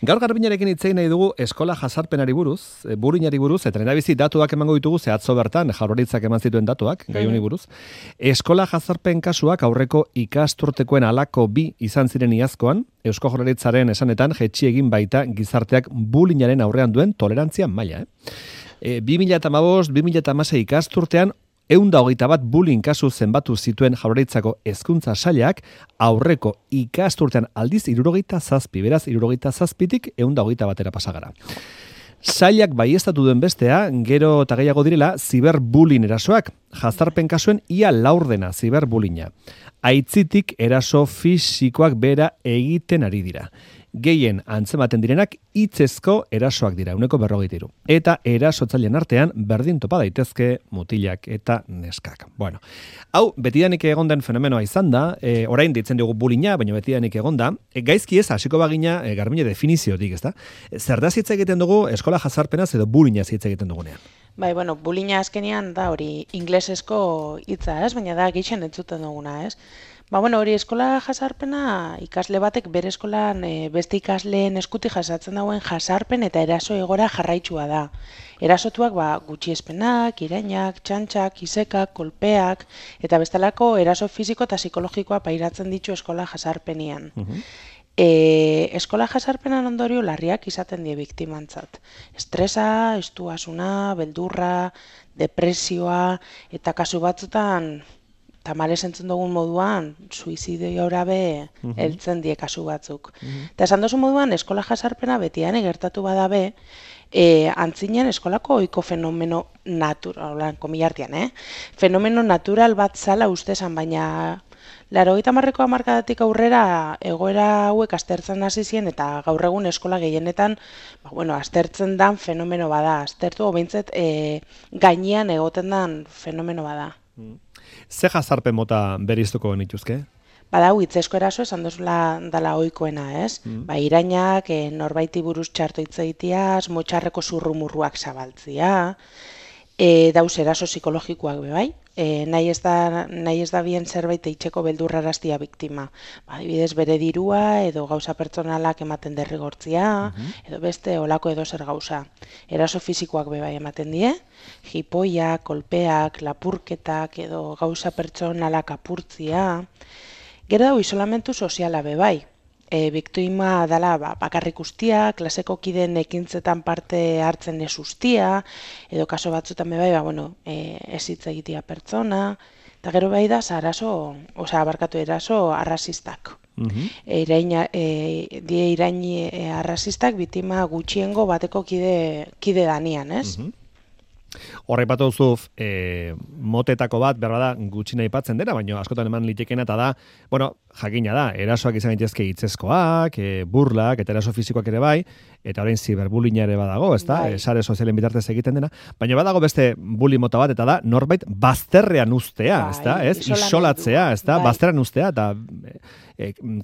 Gaur Garbinarekin hitz egin nahi dugu eskola jazarpenari buruz, buruinari buruz, eta lehendabizi datuak emango ditugu ze atzo bertan, Jaurlaritzak eman zituen datuak, gai honi buruz. Eskola jazarpen kasuak aurreko ikasturtekoen halako 2 izan ziren iazkoan, Eusko Jaurlaritzaren esanetan jetxi egin baita gizarteak bullyingaren aurrean duen tolerantzia maila. 2015-2016 ikasturtean 121 bullying kasu zenbatu zituen Jaurlaritzako hezkuntza sailak aurreko ikasturtean aldiz 77, beraz 77tik 121era pasagara. Sailak baieztatu duen bestea, gero eta gehiago direla, ziberbullying erasoak, jazarpen kasuen ia laurdena ziberbullyinga. Aitzitik eraso fisikoak bera egiten ari dira. Gehien antzematen direnak hitzezko erasoak dira, 123. Eta erasotzaileen artean berdin topa daitezke mutilak eta neskak. Bueno, hau betidanik egon den fenomenoa izan da, orain ditzen dugu bullyinga, baina betidanik egon da, gaizki ez hasiko bagina Garbine definiziotik, ezta? Zer da hitz egiten dugu eskola jazarpenaz edo bullyingaz hitz egiten dugunean? Bai, bueno, bullyinga azkenean da hori inglesezko hitza, ez? Baina da gehien entzuten duguna, ez? Ba, bueno, hori eskola jazarpena ikasle batek bere eskolan beste ikasleen eskutik jasatzen dagoen jazarpen eta eraso egora jarraitsua da. Erasotuak gutxiespenak, irainak, txantxak, isekak, kolpeak eta bestelako eraso fisiko eta psikologikoa pairatzen ditu eskola jazarpenian. Eskola jazarpenan ondorio larriak izaten die biktimantzat. Estresa, estuasuna, beldurra, depresioa eta kasu batzutan tamalez entzun dugun moduan, suizidiora be heltzen die kasu batzuk. Eta esan duzu moduan, eskola jazarpena betian gertatu badabe, antzinen eskolako ohiko fenomeno natural, komillartian, fenomeno natural bat zala ustezan, baina 80ko hamarkadatik aurrera egoera hauek aztertzen hasi ziren eta gaur egun eskola gehienetan aztertzen dan fenomeno bada, aztertu behintzat gainean egoten dan fenomeno bada. Ze jazarpen mota beriztuko genituzke? Badau, hitzezko eraso esan duzula dala ohikoena, ez? Irainak, norbaiti buruz txarto hitz egiteaz, motxarreko zurrumurruak zabaltzia, dauz eraso psikologikoak bebai, nahi ez da bien zerbait eitzeko beldurraraztia biktima. Adibidez, bere dirua edo gauza pertsonalak ematen derrigortzia, edo beste olako edo zer gauza. Eraso fisikoak bebai ematen die, jipoiak, kolpeak, lapurketak edo gauza pertsonalak apurtzia. Gero dago isolamentu soziala bebai. Biktima dala bakarrik ustia, klaseko kideen ekintzetan parte hartzen ez ustia, edo kaso batzutan bebai, ez hitz egitea pertsona, eta gero bai da eraso arrazistak. Irain arrazistak biktima gutxiengo bateko kide danian, ez? Horrepatu duzu motetako bat, berbada gutxi nahi patzen dena, baina askotan eman litekena eta da, jakina da, erasoak izan gaitezke hitzezkoak, burlak eta eraso fisikoak ere bai, eta orain ziberbullyinga ere badago, ezta? Sare sozialen bitartez egiten dena, baina badago beste bullying mota bat eta da norbait bazterrean uztea, ezta? Isolatzea, ezta? Bazterrean uztea eta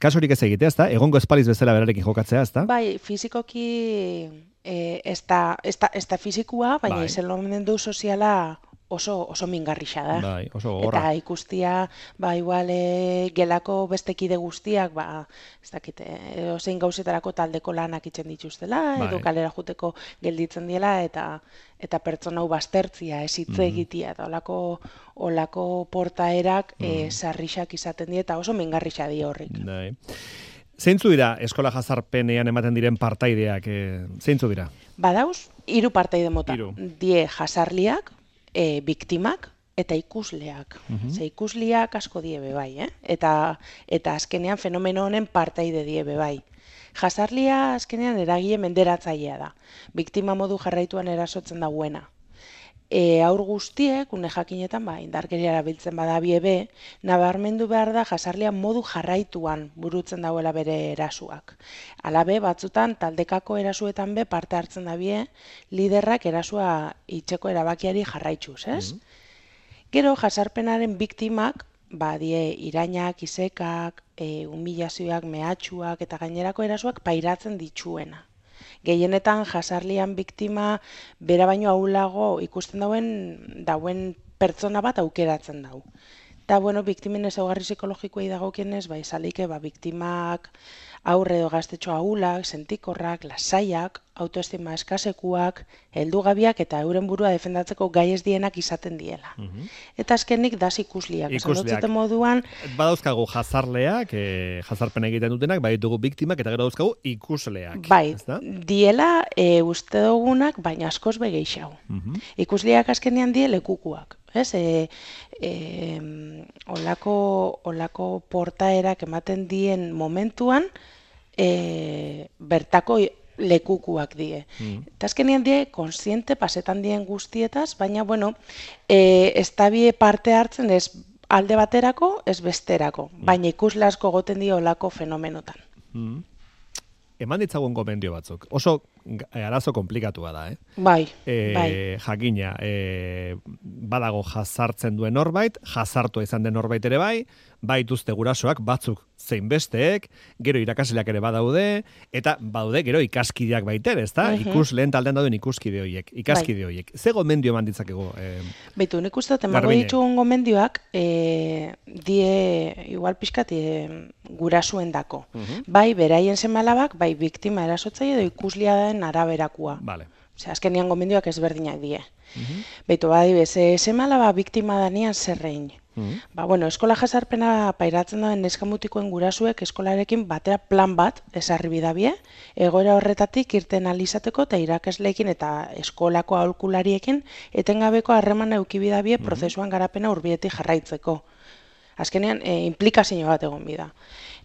kasurik ez egitea, ezta? Egongo espaliz bezala berarekin jokatzea, ezta? Bai, fisikoki ez da fizikua, baina isolamendu soziala oso mingarrixa da. Bai, oso gogorra. Eta ikustia, igual gelako beste kide guztiak, ez dakit, zein gauzetarako taldeko lanak itzen dituztela, edo kalera juteko gelditzen diela, eta pertsona hau baztertzia, ez hitz egitea, eta olako portaerak sarrixak izaten die, eta oso mingarrixa di horrik. Bai. Zeintzu dira eskola jazarpenean ematen diren partaideak? Zeintzu dira? Badauz, 3 partaide mota. Die jazarliak, biktimak eta ikusleak. Ze ikusleak asko die bebai, eta azkenean fenomeno honen partaide die bebai. Jazarlia azkenean eragile menderatzailea da. Biktima modu jarraituan erasotzen dagoena. Aur guztiek, une jakinetan, indarkeria erabiltzen badabie be, nabarmendu behar da jazarlia modu jarraituan burutzen dauela bere erasuak. Alabe, batzutan, taldekako erasuetan be parte hartzen dabie, liderrak erasua itxeko erabakiari jarraitzuz, ez? Gero, jazarpenaren biktimak, die irainak, isekak, humilazioak, mehatxuak eta gainerako erasuak pairatzen ditzuena. Gehienetan jazarlian biktima bera baino ahulago ikusten dauen pertsona bat aukeratzen dau. Eta, bueno, biktimen ezaugarri psikologikoei dagokienez, bai, salike, biktimak aurre edo gaztetxo ahulak, sentikorrak, lasaiak, autoestima eskasekuak, heldugabiak eta euren burua defendatzeko gai ez dienak izaten diela. Eta azkenik das ikusliak. Ikusliak. Moduan, badauzkagu jazarleak, jazarpen egiten dutenak, bai ditugu biktimak eta gero dauzkagu ikusleak. Bai, diela uste dugunak, baina askoz begeixau. Ikusliak azkenean die lekukuak. Ez, olako portaerak ematen dien momentuan, bertako lekukuak die. Eta azkenean die, konsiente pasetan dien guztietaz, baina, bueno, ez tabie parte hartzen ez alde baterako, ez besterako, baina ikusle asko goten die olako fenomenotan. Eman ditzagun gomendio batzuk. Oso arazo komplikatua da, Bai, jakina, badago jazartzen duen norbait, jazartua izan den norbait ere bai dituzte gurasoak batzuk zein besteek, gero irakasleak ere badaude, eta badaude gero ikaskideak baiter, ezta? Ikusleen taldean dauden ikuskide horiek, ikaskide horiek. Ze gomendio eman ditzakegu? Beitu, nik uste emango ditugun gomendioak, die, igual pixkat, gurasoendako. Bai, beraien seme-alabak, bai, biktima erasotzaile edo ikusliaren araberakua. Vale. Osea, azkenean gomendioak ezberdinak die. Beitu, badibez, seme-alaba biktima danean zerrein. Ba, bueno, eskola jazarpena pairatzen duen neskamutikoen gurasuek eskolarekin batera plan bat ezarri bidabie, egoera horretatik irten alizateko eta irakasleekin eta eskolako aholkulariekin etengabeko harremana eduki bidabie prozesuan garapena hurbietik jarraitzeko. Azkenean, implikazio bat egon bida.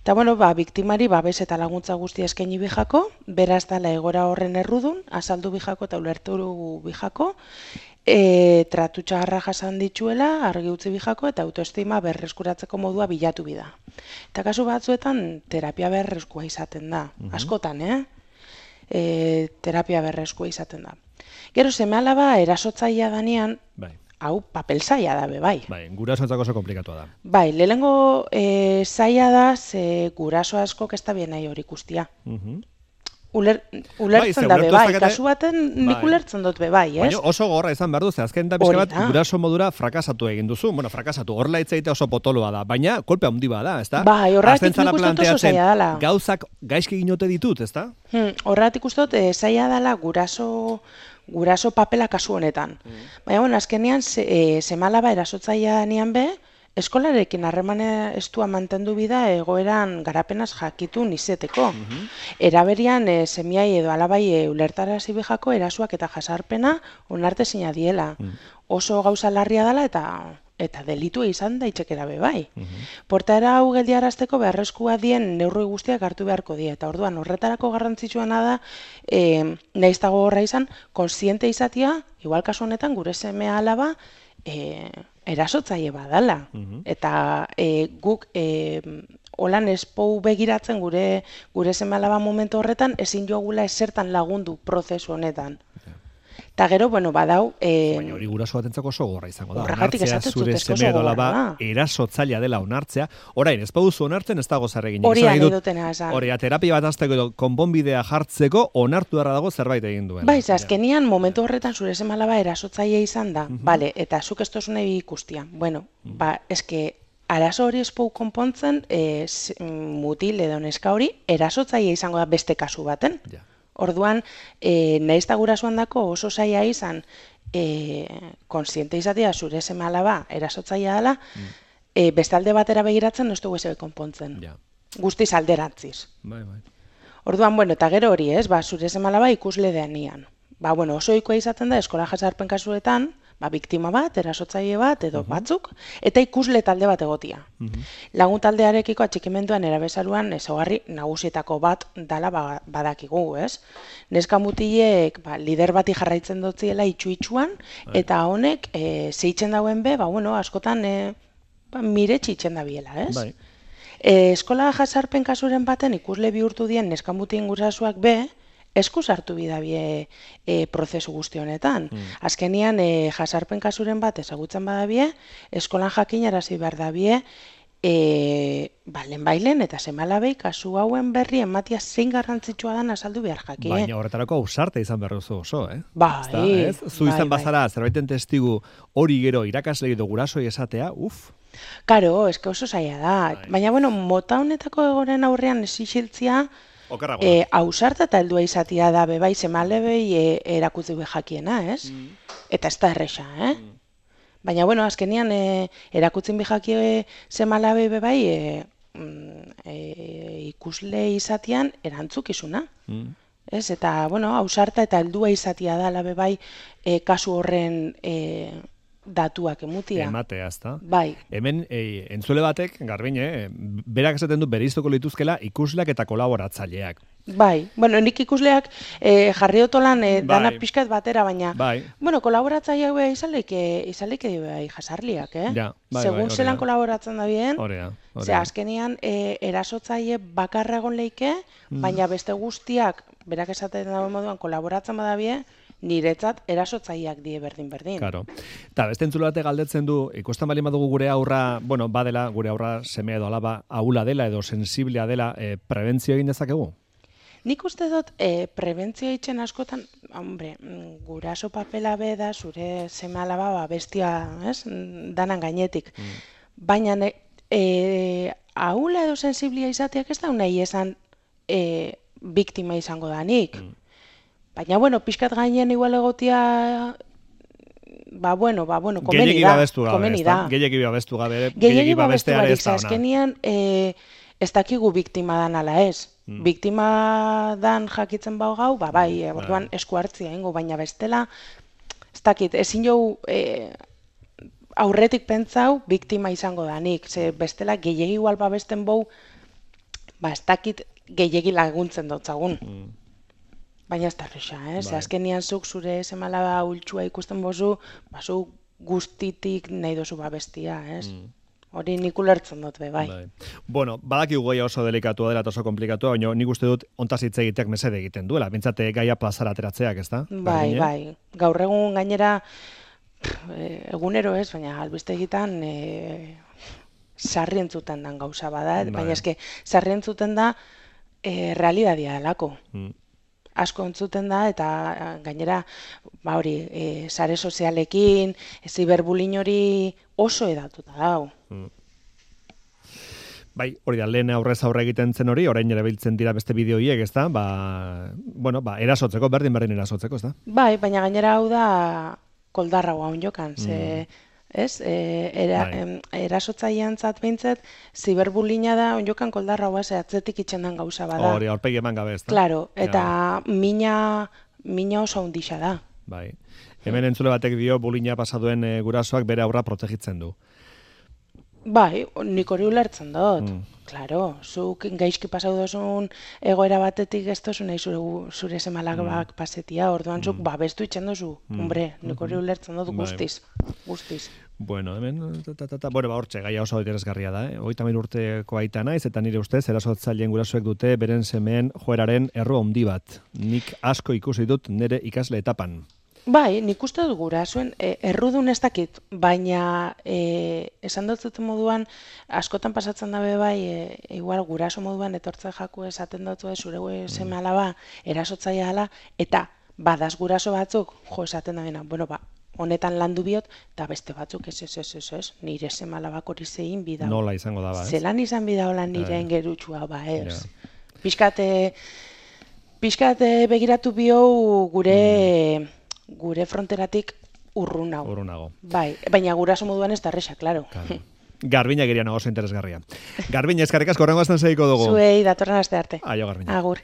Eta, bueno, biktimari babes eta laguntza guztia eskaini bijako, beraz dala egora horren errudun, azaldu bijako eta ulertu bijako, tratu txagarra jasan dituela, argi utzi bijako eta autoestima berreskuratzeko modua bilatu bida. Eta kasu batzuetan terapia berreskua izaten da. Askotan, terapia berreskua izaten da. Gero seme-alaba erasotzailea danean, hau papel zaila da, bai. Bai, gurasoentzako oso komplikatua da. Bai, lehenengo zaila da, guraso askok ez da bien nahi hori ikustia. Ulertzen da bai, kasu baten nik ulertzen dut bai, ez? Baina oso gorra izan behar du, azken da bizka bat guraso modura frakasatu egin duzu. Bueno, frakasatu, horrela hitzaite oso potoloa da, baina kolpe handi bada, ezta? Bai, horretik nik uste dut oso zaila dela. Gauzak gaizki ginote ditut, ezta? Horretik uste dut zaila dela guraso papela kasu honetan. Baina, bueno, azkenean seme-alaba erasotzailea danean be, eskolarekin harremana estua mantendu bida egoeran garapenaz jakitun izeteko. Eraberian semiai edo alabai ulertarazi bijako erasuak eta jasarpena onarte zina diela. Oso gauza larria dela eta delitu izan daitxekera be bai. Portaera hau geldiarazteko beharrezkoa dien neurri guztiak hartu beharko die. Eta orduan horretarako garrantzitsuena da, nahiz dago horra izan, konsiente izatia, igual kasu honetan gure semea alaba, erasotzaile badala. Eta guk holan espou begiratzen gure seme-alaba momentu horretan ezin jogula esertan lagundu prozesu honetan. Eta gero, bueno, badau... Baina hori guraso batentzako oso gorra izango da. Horregatik Onartzea zure seme edo alaba erasotzailea dela onartzea. Orain, ez baduzu onartzen ez dago zer egin. Hori anedotena esan. Hori, terapia bat azteko edo konponbidea jartzeko onartu darra dago zerbait egin duela. Bai, azkenian momentu horretan zure seme-alaba erasotzailea izan da. Bale, eta zuk ez tozun nahi ikustia. Bueno, eske... Arazo hori espou konpontzen, mutil edo neska hori, erasotzailea izango da beste kasu baten. Orduan, nahiz da gurasoan dako oso zaila izan, konsiente izatea zure seme-alaba erasotzailea dela, beste alde batera begiratzen ez dugu ezebe konpontzen. Guztiz alderantziz. Orduan, bueno, eta gero hori ez, zure seme-alaba ikusle denean. Oso ohikoa izaten da eskola jazarpen kasuetan, biktima bat, erasotzaile bat, edo batzuk, eta ikusle talde bat egotia. Lagun taldearekiko atxikimenduan erabezaruan ezaugarri nagusietako bat dala badakigu, ez? Neska mutilek lider bati jarraitzen dutziela itxu-itxuan, eta honek zeitzen dauen be, askotan miretsi itzen da biela, ez? Eskola jazarpen kasuren baten ikusle bihurtu dien neska mutien gurasoak be, eskuz hartu bidabie prozesu guzti honetan. Azkenian, jazarpen kasuren bat ezagutzen badabie, eskolan jakinarazi behar dabie, bailen eta seme-alabei kasu hauen berri ematia zein garrantzitsua dan azaldu behar jaki. Baina horretarako ausarte izan behar duzu oso, Bai. Zu izan bazara, zerbaiten testigu hori gero irakasle edo gurasoi esatea, Karo, eske oso zaila da. Bai. Baina, bueno, mota honetako egoren aurrean ez isiltzia, Okerrago da. ausarta eta heldua izatia da, bebai, semalebei erakutzi be jakiena, ez? Eta ez da erresa, Baina, bueno, azkenian erakutzen bi jakie semalabei bebai, ikusle izatian erantzukizuna. Ez? Eta, bueno, ausarta eta heldua izatia da, labe bai, kasu horren datuak emutia. Ematea, ezta? Bai. Hemen, entzule batek, Garbine, berak esaten du bereiztuko lituzkela ikusleak eta kolaboratzaileak. Bai, bueno, nik ikusleak jarri otolan dana pixkat batera, baina, bueno, kolaboratzaileak beha izaleike bai jasarliak, Ja, bai, segun zelan kolaboratzen da bien, Ze azkenian erasotzaile bakarra egon leike, baina beste guztiak, berak esaten dago moduan, kolaboratzen badabie, niretzat erasotzaileak die berdin-berdin. Claro. Eta beste entzule batek galdetzen du, ikusten bali badugu gure aurra, bueno, badela, gure aurra semea edo alaba ahula dela edo sensiblea dela, prebentzio egin dezakegu? Nik uste dut, prebentzio itxen askotan, hombre, guraso papela be da, zure seme alaba bestia, ez, danan gainetik. Baina, ahula edo sensiblia izateak ez da nahi esan biktima izango danik. Baina, bueno, pixkat gainen igual egotia, bueno, komeni da. Gehiegi babestu gabe, gehiegi babesteare ez da ona. Azkenian, ez dakigu biktima dan ala ez. Biktima dan jakitzen bau gau, bai, orduan esku hartzia ingo, baina bestela, ez dakit, ezin jau aurretik pentsau biktima izango danik, ze bestela gehiegi igual babesten bau, ez dakit gehiegi laguntzen dutzagun. Baina ez da erresa, azkenian zuk zure semalaba ultsua ikusten bozu, zu guztitik nahi dozu babestia, Hori nik ulertzen dut, bai. Bueno, badakigu goia oso delikatua dela eta oso komplikatua, baina nik uste dut ontaz hitz egiteak mesede egiten duela, bintzate gaia plazara ateratzeak, ez da? Bai. Gaur egun gainera, egunero ez, baina albiste egitan sarri entzuten dan gauza bada, baina eske sarri entzuten da realidadia delako. Asko entzuten da, eta gainera, hori, sare sozialekin, ziberbullying hori oso edatuta dau. Bai, hori da, lehen aurrez aurre egiten zen hori, orain erabiltzen dira beste bideoiek, ez da? Erasotzeko, berdin erasotzeko, ez da? Bai, baina gainera hau da koldarra guaun jokan, ez? Erasotzailean zat behintzat, ziberbullyinga da, onjokan koldarra guaz, atzetik itxendan gauza bada. Hori, aurpegi eman gabe, ez da? Claro, eta mina oso handixa da. Bai. Hemen entzule batek dio, bullyinga pasaduen gurasoak bere aurra protegitzen du. Bai, nik hori ulertzen dut. Claro, zuk gaizki pasau dozun egoera batetik ez dozu nahi zure semalak pasetia, orduan zuk babestu itxen dozu. Hombre, nik hori ulertzen dut guztiz. Bueno, hemen, hortxe, gaia oso interesgarria da, 30 urteko aita naiz, eta nire ustez, erasotzaileen gurasoek dute beren semeen joeraren errua handi bat. Nik asko ikusi dut nire ikasle etapan. Bai, nik uste dut gurasoen errudun ez dakit, baina esan dut moduan, askotan pasatzen dabe bai, igual guraso moduan etortzen jaku esaten dut zure seme alaba erasotzailea dela, eta badaz guraso batzuk, esaten da bueno, honetan landu biot, eta beste batzuk ez, nire seme alabak hori zein bidau. Nola izango da, ez? Zelan izan bidau lan nire engerutxua, ez. Piskat begiratu bio gure fronteratik urrunago. Bai, baina guraso moduan ez da erresa, klaro. Garbina gerian oso interesgarria. Garbina, eskarrik asko horrengo azten segiko dugu. Zuei, datorren aste arte. Aio, Garbina. Agur.